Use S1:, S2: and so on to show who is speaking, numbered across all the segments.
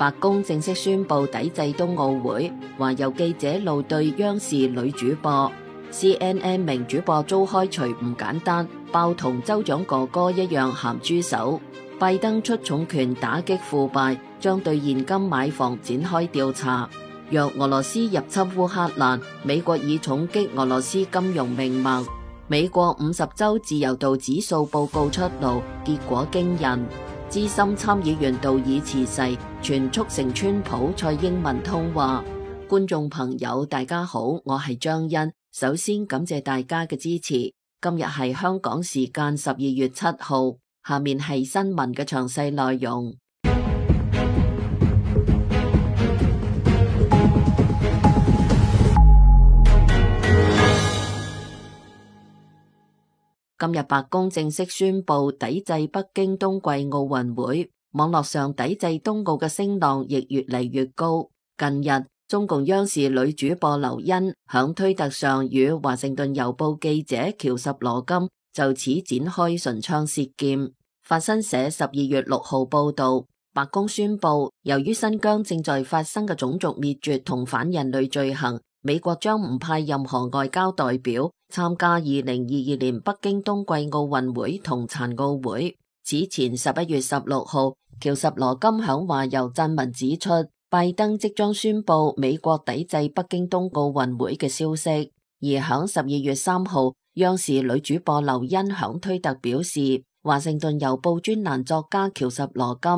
S1: 白宮正式宣布抵制冬奧會，話有記者怒對央視女主播。CNN 名主播遭開除唔簡單，爆同州長哥哥一樣鹹豬手。拜登出重拳打擊腐敗，將對現金買房展開調查。若俄羅斯入侵烏克蘭，美國以重擊俄羅斯金融命脈。美國50州自由度指數報告出爐，結果驚人。資深參議員道爾辭世，全促成川普蔡英文通話。觀眾朋友大家好，我係張欣。首先感謝大家嘅支持。今日係香港時間12月7號，下面係新聞嘅詳細內容。今日白宮正式宣布抵制北京冬季奧運會，網絡上抵制冬奧嘅聲浪亦越嚟越高。近日，中共央視女主播劉欣響推特上與華盛頓郵報記者喬什羅金就此展開唇槍舌劍。法新社12月6號報道，白宮宣布，由於新疆正在發生嘅種族滅絕同反人類罪行，美國將唔派任何外交代表參加2022年北京冬季奧運會同殘奧會。此前11月16號，喬什羅金響華郵撰文指出，拜登即將宣布美國抵制北京冬奧運會嘅消息。而響12月3號，央視女主播劉欣響推特表示，華盛頓郵報專欄作家喬什羅金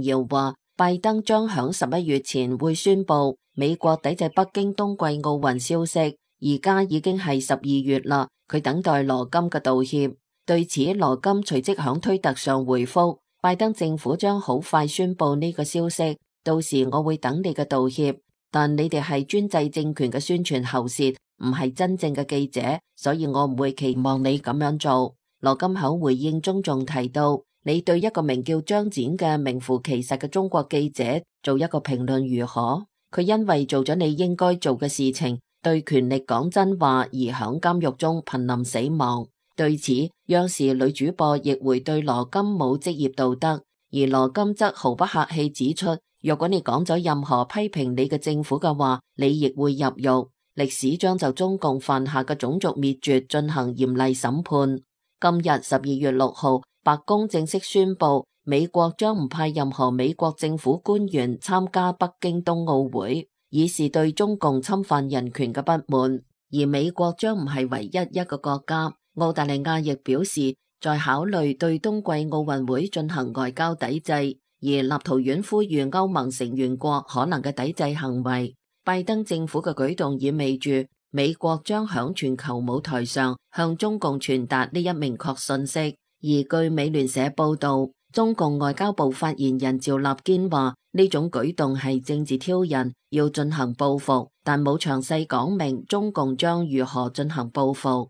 S1: 傳謠話，拜登將響11月前會宣布美國抵制北京冬季奧運消息。而家已經係12月啦，佢等待羅金嘅道歉。對此，羅金隨即響推特上回覆，拜登政府將好快宣布呢個消息，到時我會等你嘅道歉。但你哋係專制政權嘅宣傳喉舌，唔係真正嘅記者，所以我唔會期望你咁樣做。羅金響回應中仲提到，你對一個名叫張展嘅名副其實嘅中國記者做一個評論如何？佢因為做咗你應該做嘅事情，對權力講真話而響監獄中瀕臨死亡。對此，央視女主播亦會對羅金冇職業道德，而羅金則毫不客氣指出，若果你講咗任何批評你嘅政府嘅話，你亦會入獄。歷史將就中共犯下嘅種族滅絕進行嚴厲審判。今日12月6號，白宮正式宣布，美國將唔派任何美國政府官員參加北京冬奧會，以示對中共侵犯人權嘅不滿。而美國將唔係唯一一個國家，澳大利亞亦表示在考慮對冬季奧運會進行外交抵制，而立陶宛呼籲歐盟成員國可能嘅抵制行為。拜登政府嘅舉動意味住美國將響全球舞台上向中共傳達呢一明確信息。而據美聯社報道，中共外交部發言人趙立堅話，呢種舉動係政治挑釁，要進行報復，但冇詳細講明中共將如何進行報復。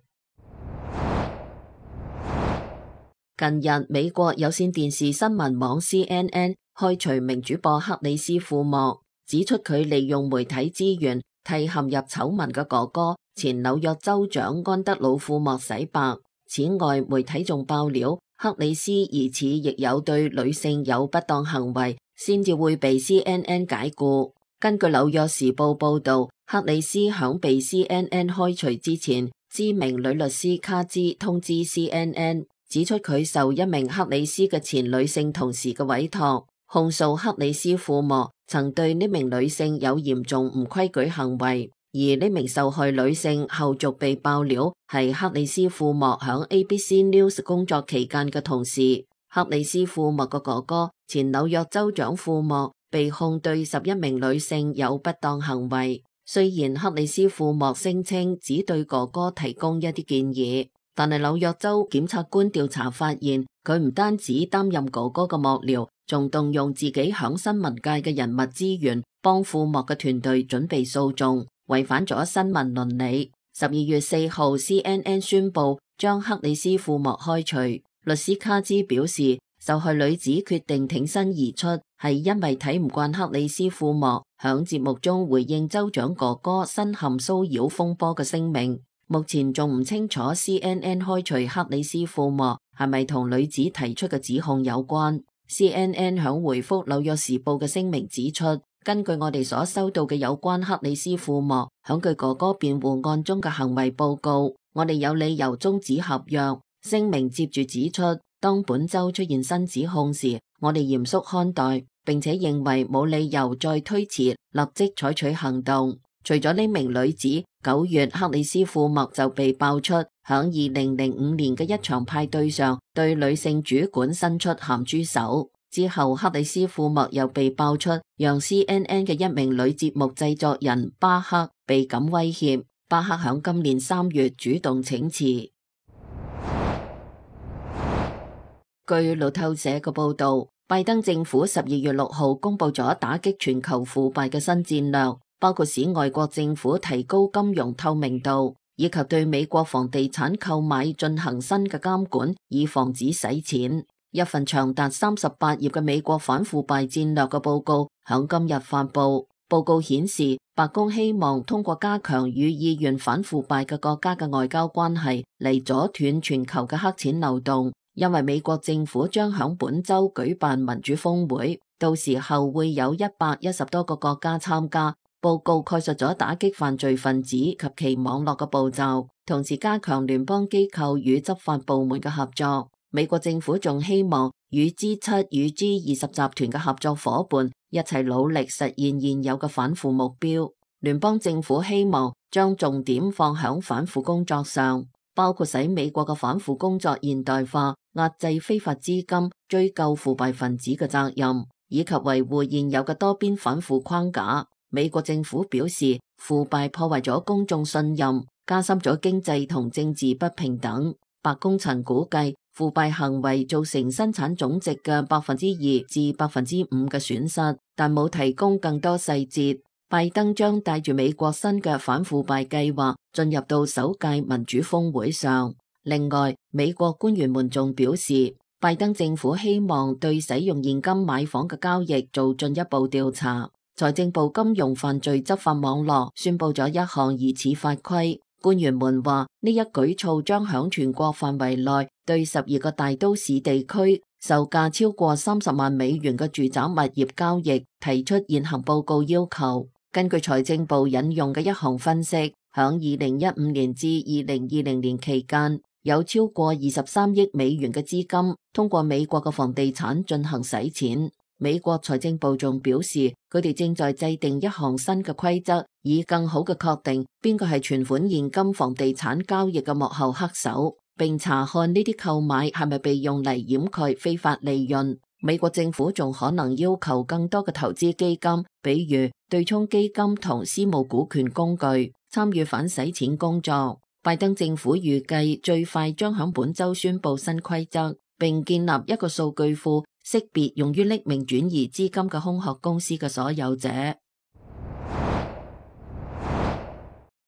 S1: 近日，美國有線電視新聞網 CNN 開除名主播克里斯庫莫，指出佢利用媒體資源替陷入醜聞嘅哥哥前紐約州長安德魯庫莫洗白。此外，媒體仲爆料克里斯疑似亦有對女性有不當行為，先至會被 CNN 解僱。根據紐約時報報道，克里斯響被 CNN 開除之前，知名女律師卡茲通知 CNN， 指出佢受一名克里斯嘅前女性同事嘅委託，控訴克里斯庫莫曾對呢名女性有嚴重唔規矩行為。而呢名受害女性後續被爆料係克里斯庫莫響 ABC News 工作期間嘅同事。克里斯庫莫嘅哥哥前紐約州長庫莫被控對11名女性有不當行為。雖然克里斯庫莫聲稱只對哥哥提供一啲建議，但係紐約州檢察官調查發現，佢唔單止擔任哥哥嘅幕僚，仲動用自己響新聞界嘅人脈資源，幫庫莫嘅團隊準備訴訟，違反咗新聞倫理。12月4號 CNN 宣布將克里斯庫莫開除。律師卡茲表示，受害女子決定挺身而出，係因為睇唔慣克里斯庫莫響節目中回應州長哥哥身陷騷擾風波嘅聲明。目前仲唔清楚 CNN 開除克里斯庫莫係咪同女子提出嘅指控有關。CNN 響回覆紐約時報嘅聲明指出，根據我哋所收到嘅有關克里斯庫莫響佢哥哥辯護案中嘅行為報告，我哋有理由終止合約。聲明接住指出，當本周出現新指控時，我哋嚴肅看待，並且認為冇理由再推遲，立即採取行動。除咗呢名女子，9月克里斯庫莫就被爆出響2005年嘅一場派對上對女性主管伸出鹹豬手。之後克里斯庫莫又被爆出讓 CNN 嘅一名女節目製作人巴克被感威脅。巴克響今年3月主動請辭。據路透社嘅報道，拜登政府12月6號公布咗打擊全球腐敗嘅新戰略，包括使外國政府提高金融透明度，以及對美國房地產購買進行新嘅監管，以防止洗錢。一份長達38頁嘅美國反腐敗戰略嘅報告響今日發布。報告顯示，白宮希望通過加強與意願反腐敗嘅國家嘅外交關係嚟阻斷全球嘅黑錢流動。因為美國政府將響本周舉辦民主峰會，到時候會有110多個國家參加。報告概述咗打擊犯罪分子及其網絡嘅步驟，同時加強聯邦機構與執法部門嘅合作。美國政府仲希望與 G7 與 G20 集團嘅合作夥伴一齊努力實現現有嘅反腐目標。聯邦政府希望將重點放響反腐工作上，包括使美國嘅反腐工作現代化，壓制非法資金，追究腐敗分子嘅責任，以及維護現有嘅多邊反腐框架。美國政府表示，腐敗破壞咗公眾信任，加深咗經濟同政治不平等。白宮曾估計，腐敗行為造成生產總值嘅2%至5%嘅損失，但冇提供更多細節。拜登將帶住美國新嘅反腐敗計劃進入到首屆民主峰會上。另外，美國官員們仲表示，拜登政府希望對使用現金買房嘅交易做進一步調查。財政部金融犯罪執法網絡宣布咗一項疑似法規。官員們話，呢一舉措將響全國範圍內對12個大都市地區售價超過30萬美元嘅住宅物業交易提出現行報告要求。根據財政部引用嘅一項分析，響2015年至2020年期間，有超過23億美元嘅資金通過美國嘅房地產進行洗錢。美國財政部仲表示，佢哋正在制定一項新嘅規則，以更好嘅確定邊個係存款現金房地產交易嘅幕後黑手，並查看呢啲購買係咪被用嚟掩蓋非法利潤。美國政府仲可能要求更多嘅投資基金，比如對沖基金同私募股權工具，參與反洗錢工作。拜登政府預計最快將響本周宣布新規則，並建立一個數據庫，識別用於匿名轉移資金嘅空殼公司嘅所有者。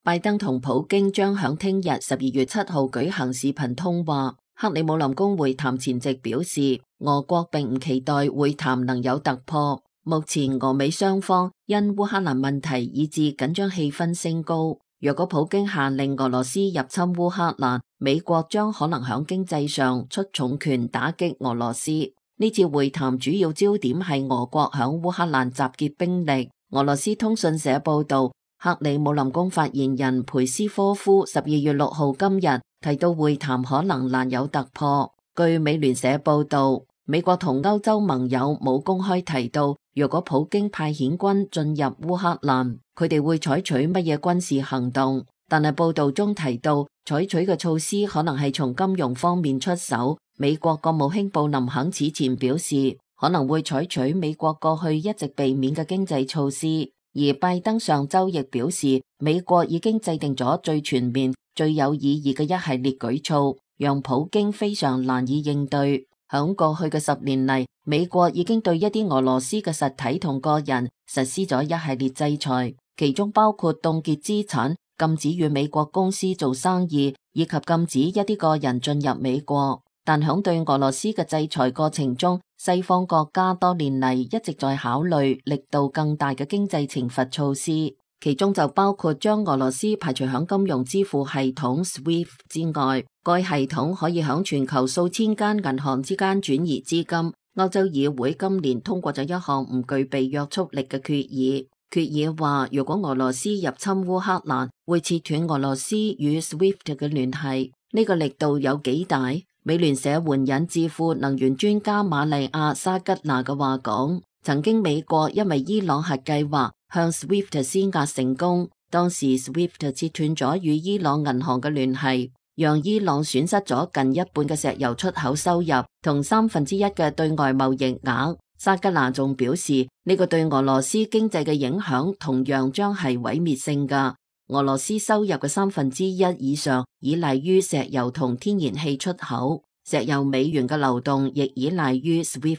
S1: 拜登同普京將響聽日12月7號舉行視頻通話。克里姆林宮會談前夕表示，俄國並唔期待會談能有突破。目前俄美雙方因烏克蘭問題以致緊張氣氛升高。若果普京下令俄羅斯入侵烏克蘭，美國將可能響經濟上出重拳打擊俄羅斯。呢次會談主要焦點係俄國響烏克蘭集結兵力。俄羅斯通訊社報道，克里姆林宮發言人佩斯科夫12月6號今日提到會談可能難有突破。據美聯社報道，美國同歐洲盟友冇公開提到，若果普京派遣軍進入烏克蘭，佢哋會採取乜嘢軍事行動。但係報道中提到，採取嘅措施可能係從金融方面出手。美國國務卿布林肯此前表示，可能會採取美國過去一直避免嘅經濟措施。而拜登上周亦表示，美國已經制定咗最全面、最有意義嘅一系列舉措，讓普京非常難以應對。響過去嘅10年嚟，美國已經對一啲俄羅斯嘅實體同個人實施咗一系列制裁，其中包括凍結資產、禁止與美國公司做生意，以及禁止一啲個人進入美國。但響對俄羅斯嘅制裁過程中，西方國家多年嚟一直在考慮力度更大嘅經濟懲罰措施，其中就包括將俄羅斯排除響金融支付系統 SWIFT 之外。該系統可以響全球數千間銀行之間轉移資金，歐洲議會今年通過咗一項唔具備約束力嘅決議，決議話如果俄羅斯入侵烏克蘭，會切斷俄羅斯與 SWIFT 嘅聯繫。呢個力度有幾大？美聯社援引智庫能源專家瑪麗亞沙吉娜嘅話講，曾經美國因為伊朗核計劃向 SWIFT 施壓成功，當時 SWIFT 切斷咗與伊朗銀行嘅聯繫，讓伊朗損失咗近一半嘅石油出口收入同1/3嘅對外貿易額。沙吉娜仲表示，呢個對俄羅斯經濟嘅影響同樣將係毀滅性㗎。俄羅斯收入嘅1/3以上依賴於石油同天然氣出口，石油美元嘅流動亦依賴於 SWIFT。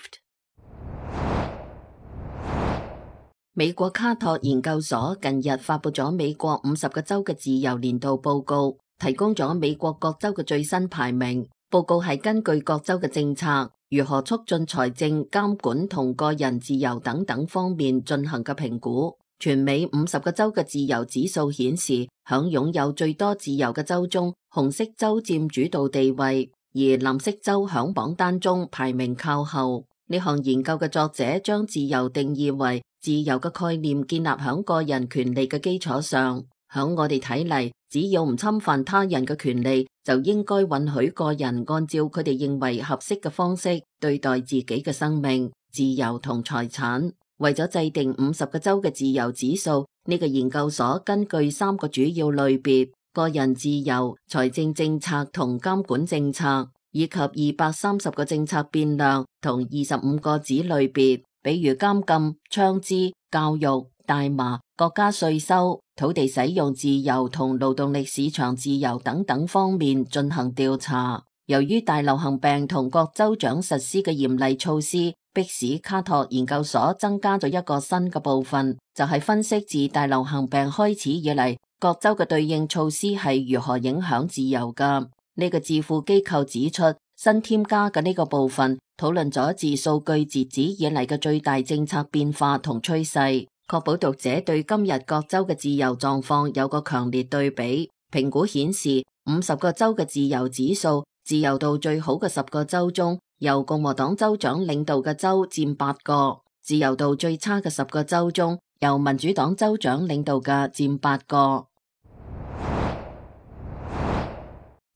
S1: 美國卡托研究所近日發佈咗美國50個州嘅自由年度報告，提供咗美國各州嘅最新排名。報告係根據各州嘅政策，如何促進財政、監管同個人自由等等方面進行嘅評估。全美50個州嘅自由指數顯示，響擁有最多自由嘅州中，紅色州佔主導地位，而藍色州響榜單中排名靠後。呢項研究嘅作者將自由定義為自由嘅概念建立響個人權利嘅基礎上。響我哋睇嚟，只要唔侵犯他人嘅權利，就應該允許個人按照佢哋認為合適嘅方式對待自己嘅生命、自由同財產。為咗制定50個州嘅自由指數，呢個研究所根據3個主要類別：個人自由、財政政策同監管政策，以及230個政策變量同25個子類別，比如監禁、槍支、教育、大麻、國家稅收、土地使用自由同勞動力市場自由等等方面進行調查。由於大流行病同各州長實施嘅嚴厲措施，迫使卡托研究所增加咗一個新嘅部分，就係分析自大流行病開始以嚟，各州嘅對應措施係如何影響自由㗎。呢個智庫機構指出，新添加嘅呢個部分討論咗自數據截止以嚟嘅最大政策變化同趨勢，確保讀者對今日各州嘅自由狀況有個強烈對比。評估顯示，50個州嘅自由指數，自由度最好嘅10個州中，由共和黨州長領導嘅州佔8個；自由度最差嘅10個州中，由民主黨州長領導嘅佔8個。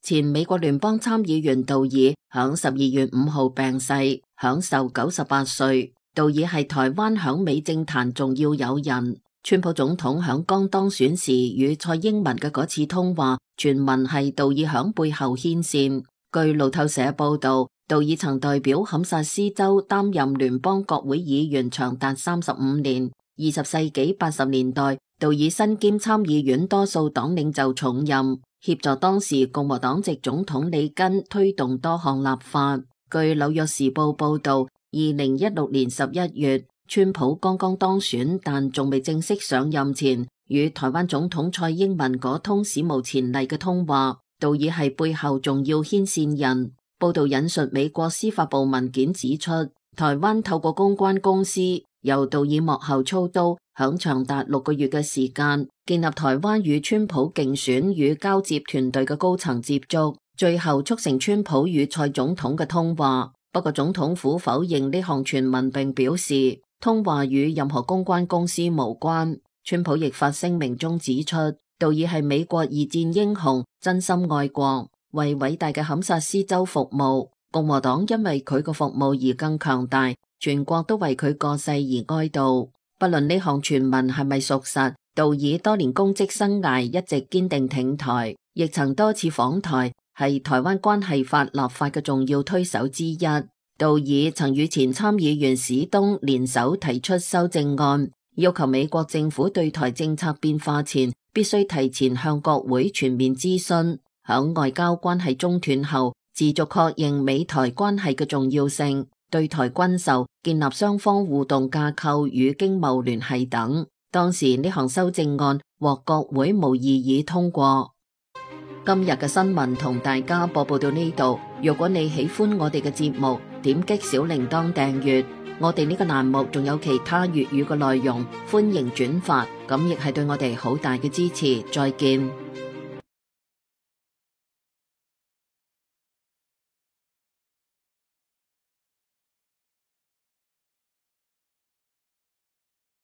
S1: 前美國聯邦參議員杜爾響12月5號病逝，享壽98歲。杜爾係台灣響美政壇重要友人。川普總統響剛當選時與蔡英文嘅嗰次通話，傳聞係杜爾響背後牽線。據路透社報道，杜爾曾代表堪薩斯州擔任聯邦國會議員長達35年。20世紀80年代，杜爾身兼參議院多數黨領袖重任，協助當時共和黨籍總統里根推動多項立法。據紐約時報報道，2016年11月，川普剛剛當選，但仲未正式上任前，與台灣總統蔡英文嗰通史無前例嘅通話，杜爾係背後重要牽線人。報道引述美國司法部文件指出，台灣透過公關公司由杜爾幕後操刀，響長達6個月嘅時間，建立台灣與川普競選與交接團隊嘅高層接觸，最後促成川普與蔡總統嘅通話。不過總統府否認呢項傳聞，並表示通話與任何公關公司無關。川普亦發聲明中指出，杜爾係美國2戰英雄，真心愛國，為偉大嘅堪薩斯州服務。共和黨因為佢個服務而更強大，全國都為佢過世而哀悼。不論呢項傳聞係咪屬實，杜爾多年公職生涯一直堅定挺台，亦曾多次訪台，係台灣關係法立法嘅重要推手之一。杜爾曾與前參議員史東聯手提出修正案，要求美國政府對台政策變化前，必須提前向國會全面諮詢。響外交關係中斷後，持續確認美台關係嘅重要性，對台軍售、建立雙方互動架構與經貿聯繫等。當時呢項修正案獲國會無異議通過。今日嘅新聞同大家播報到呢度。如果你喜歡我哋嘅節目，點擊小鈴鐺訂閱。我哋呢個欄目仲有其他粵語嘅內容，歡迎轉發，咁亦係對我哋好大嘅支持。再見。